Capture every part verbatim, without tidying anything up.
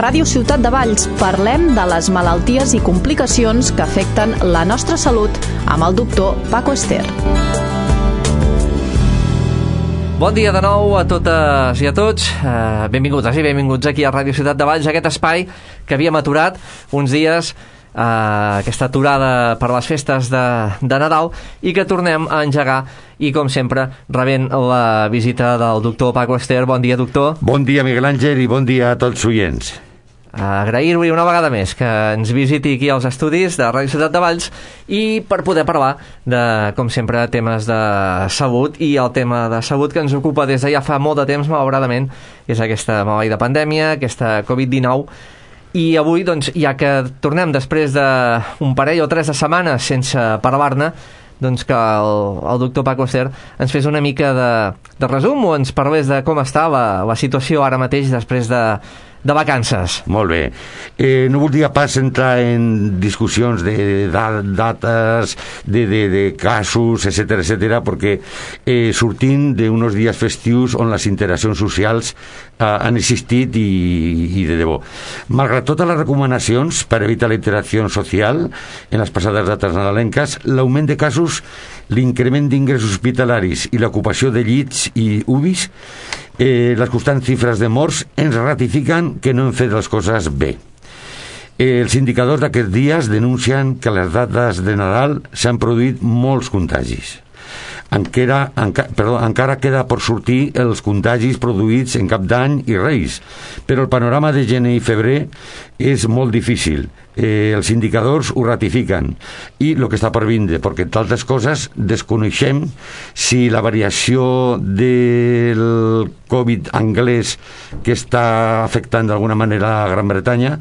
Ràdio Ciutat de Valls parlem de les malalties i complicacions que afecten la nostra salut amb el doctor Paco Ester. Bon dia de nou a totes i a tots. Uh, benvingudes i benvinguts aquí a Ràdio Ciutat de Valls, aquest espai que havíem aturat uns dies, uh, aquesta aturada per les festes de, de Nadal, i que tornem a engegar, i com sempre rebent la visita del doctor Paco Ester. Bon dia, doctor. Bon dia, Miguel Àngel, i bon dia a tots oients. Agrair-li una vegada més que ens visiti aquí als estudis de Ràdio Ciutat de Valls i per poder parlar de, com sempre, temes de salut. I el tema de salut que ens ocupa des de ja fa molt de temps, malauradament, és aquesta maleïda pandèmia, aquesta covid dinou. I avui, doncs, ja que tornem després d'un parell o tres de setmanes sense parlar-ne, doncs que el, el doctor Paco Ester ens fes una mica de, de resum, o ens parlés de com està la, la situació ara mateix després de de vacances. Molt bé. Eh, no voldria pas entrar en discussions de dates, de, de, de casos, etcètera, etcètera, perquè eh, sortint d'uns dies festius on les interaccions socials eh, han existit i, i de debò. Malgrat totes les recomanacions per evitar la interacció social en les passades dates nadalenques, l'augment de casos, l'increment d'ingressos hospitalaris i l'ocupació de llits i U B Is, eh, les constants xifres de morts ens ratifiquen que no hem fet les coses bé. Eh, els indicadors d'aquests dies denuncien que a les dates de Nadal s'han produït molts contagis. Encara, enca, perdó, encara queda per sortir els contagis produïts en Cap d'Any i Reis, però el panorama de gener i febrer és molt difícil. Eh, els indicadors ho ratifiquen, i el que està per vindre, perquè entre altres coses desconeixem si la variació del Covid anglès que està afectant d'alguna manera a Gran Bretanya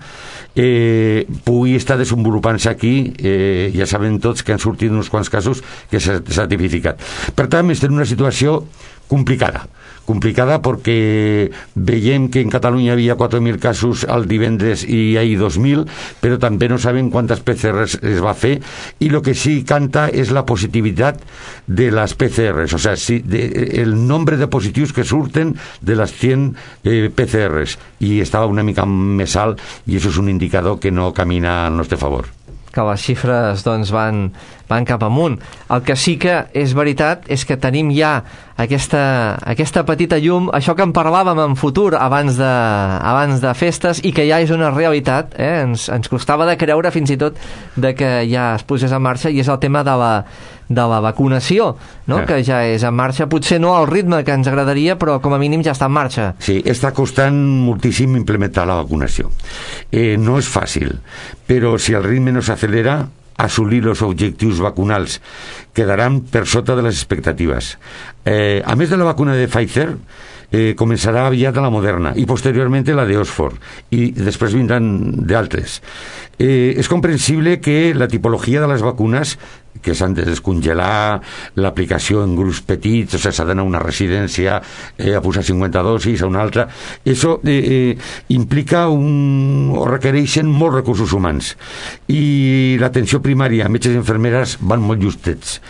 eh, pugui estar desenvolupant-se aquí. Eh, ja sabem tots que han sortit uns quants casos que s'ha tipificat. Per tant, estem en una situació complicada complicada perquè veiem que en Catalunya hi havia quatre mil casos el divendres i ahir dos mil, però també no sabem quantes P C Rs es va fer, i el que sí canta és la positivitat de les P C Rs, o sigui, si de, el nombre de positius que surten de les cent eh, P C Rs, i estava una mica més alt, i això és un indicador que no camina al nostre favor, que les xifres doncs van, van cap amunt. El que sí que és veritat és que tenim ja aquesta, aquesta petita llum, això que en parlàvem en futur abans de, abans de festes, i que ja és una realitat, eh? ens, ens costava de creure fins i tot de que ja es posés en marxa, i és el tema de la, de la vacunació, no? Eh. Que ja és en marxa, potser no al ritme que ens agradaria, però com a mínim ja està en marxa. Sí, està costant moltíssim implementar la vacunació. Eh, no és fàcil, però si el ritme no s'acelera, assolir els objectius vacunals quedaran per sota de les expectatives. Eh, a més de la vacuna de Pfizer, eh, començarà aviat la Moderna i posteriorment la de Oxford, i després vindran d'altres. Eh, és comprensible que la tipologia de les vacunes, que s'han de descongelar, l'aplicació en grups petits, o sigui, s'ha d'anar a una residència eh, a posar cinquanta dosis, a una altra, això eh, eh, implica un, o requereixen molts recursos humans, i l'atenció primària, metges i infermeres van molt justets.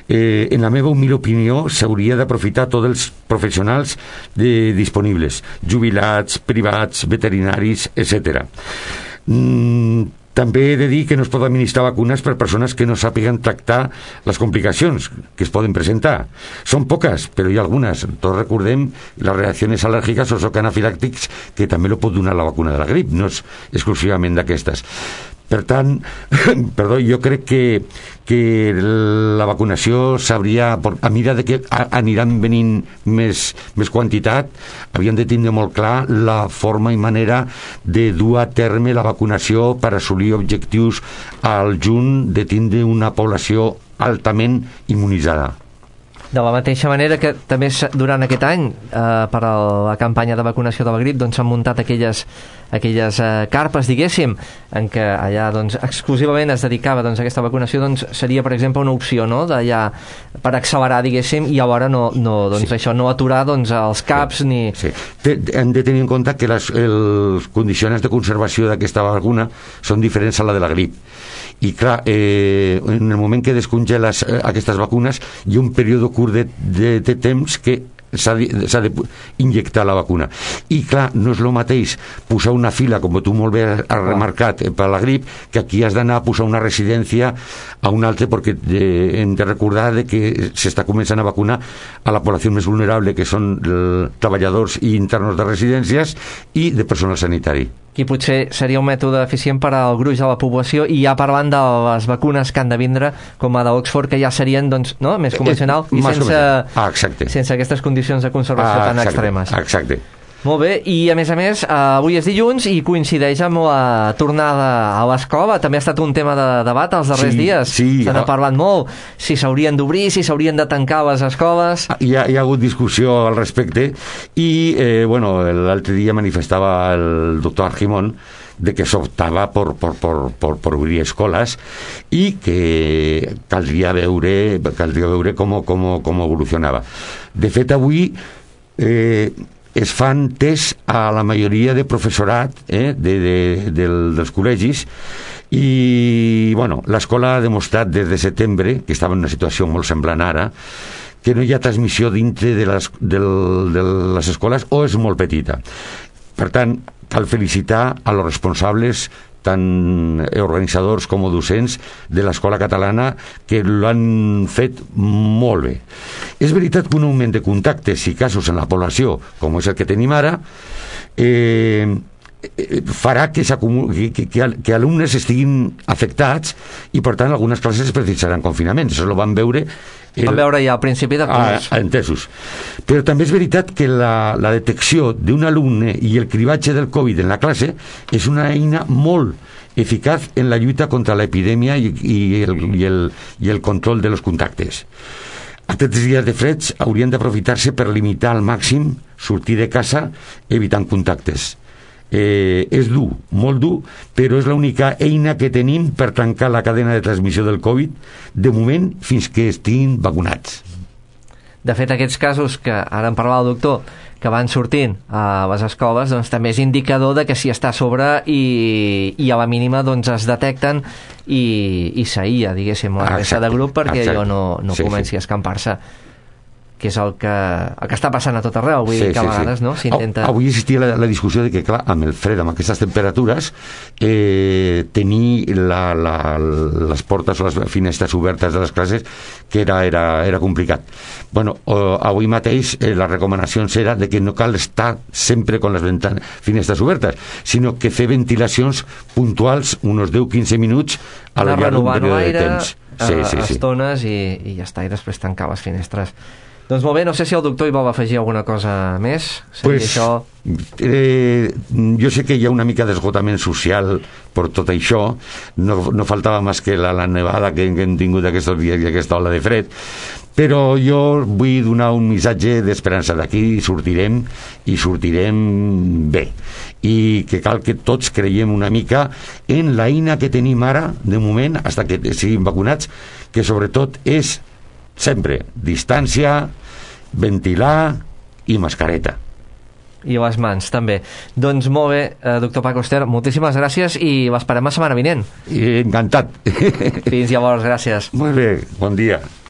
Eh, en la meva humil opinió, s'hauria d'aprofitar tots els professionals de, disponibles, jubilats, privats, veterinaris, etcètera. Mm, també he de dir que no es pot administrar vacunes per persones que no sàpiguen tractar les complicacions que es poden presentar. Són poques, però hi ha algunes. Tots recordem les reaccions al·lèrgiques o anafilàctics, que també lo pot donar la vacuna de la grip, no és exclusivament d'aquestes. Per tant, perdó, jo crec que, que la vacunació s'hauria, a mesura que aniran venint més, més quantitat, havien de tindre molt clar la forma i manera de dur a terme la vacunació per assolir objectius al juny de tindre una població altament immunitzada. De la mateixa manera que també durant aquest any, eh, per a la campanya de vacunació de la grip, doncs s'han muntat aquelles, aquelles eh, carpes, diguéssim, en què allà doncs, exclusivament es dedicava doncs, a aquesta vacunació, doncs seria, per exemple, una opció, no?, d'allà per accelerar, diguéssim, i alhora no, no, doncs, sí. això, no aturar doncs, els caps sí. ni... Sí. Hem de tenir en compte que les, els condicions de conservació d'aquesta vacuna són diferents a la de la grip. I clar, eh, en el moment que descongeles eh, aquestes vacunes hi ha un període curt de, de, de temps que s'ha d'injectar la vacuna. I clar, no és el mateix posar una fila, com tu molt bé has remarcat, per la grip, que aquí has d'anar a posar una residència a un altre, perquè eh, hem de recordar de que s'està començant a vacunar a la població més vulnerable, que són eh, treballadors i internos de residències i de personal sanitari. Aquí potser seria un mètode eficient per al gruix de la població, i ja parlant de les vacunes que han de vindre, com a d'Oxford, que ja serien doncs, no? més convencional i sense, ah, sense aquestes condicions de conservació ah, tan exacte, extremes. Exacte. Molt bé, i a més a més, eh, avui és dilluns i coincideix amb la tornada a l'escola. També ha estat un tema de debat els darrers sí, dies. Sí, Se n'ha parlat molt, si s'haurien d'obrir, si s'haurien de tancar les escoles. Hi ha, hi ha hagut discussió al respecte i, eh, bueno, l'altre dia manifestava el doctor Argimon de que s'optava per, per, per, per, per obrir escoles i que caldria veure, caldria veure com, com, com evolucionava. De fet, avui eh, es fan tests a la majoria de professorat eh, de, de, del, dels col·legis i bueno, l'escola ha demostrat des de setembre, que estava en una situació molt semblant ara, que no hi ha transmissió dintre de les, del, de les escoles o és molt petita. Per tant, cal felicitar a los responsables, tant organitzadors com docents de l'escola catalana, que l'han fet molt bé. És veritat que un augment de contactes i casos en la població, com és el que tenim ara, eh, farà que, que, que, que alumnes estiguin afectats i, per tant, algunes classes precisaran confinament. Això ho van veure El... Vam veure ja al principi de curs. Ah, entesos. Però també és veritat que la, la detecció d'un alumne i el cribatge del Covid en la classe és una eina molt eficaç en la lluita contra l'epidèmia i, i, el, i, el, i el control de los contactes. Aquests dies de freds haurien d'aprofitar-se per limitar al màxim sortir de casa evitant contactes. Eh, és dur, molt dur, però és l'única eina que tenim per tancar la cadena de transmissió del Covid de moment fins que estiguin vacunats. De fet, aquests casos que ara en parlava el doctor, que van sortint a les escoles, doncs també és indicador de que s'hi està a sobre i, i a la mínima doncs es detecten i, i s'aïlla, diguéssim, la resta de grup perquè exacte. allò no, no sí, comenci sí. a escampar-se, que és el que, el que està passant a tot arreu, vull sí, dir que a sí, vegades sí. no s'intenta... Avui existia la, la discussió de que, clar, amb el fred, amb aquestes temperatures, eh, tenir la, la, les portes o les finestres obertes de les classes, que era, era, era complicat. Bueno, eh, avui mateix eh, les recomanacions era de que no cal estar sempre con les ventanes, finestres obertes, sinó que fer ventilacions puntuals, uns deu a quinze minuts a la llarg d'un període de temps. Sí, sí, sí. Estones i, i ja està, i després tancar les finestres. Doncs molt bé, no sé si el doctor hi vol afegir alguna cosa més. Pues, això... eh, jo sé que hi ha una mica d'esgotament social per tot això, no, no faltava més que la, la nevada que, que hem tingut aquests dies i aquesta ola de fred, però jo vull donar un missatge d'esperança. D'aquí sortirem i sortirem bé, i que cal que tots creiem una mica en l'eina que tenim ara, de moment, fins que siguin vacunats, que sobretot és sempre distància, ventilar i mascareta. I les mans, també. Doncs molt bé, eh, doctor Paco Ester, moltíssimes gràcies i l'esperem la setmana vinent. Encantat. Fins llavors, gràcies. Molt bé, bon dia.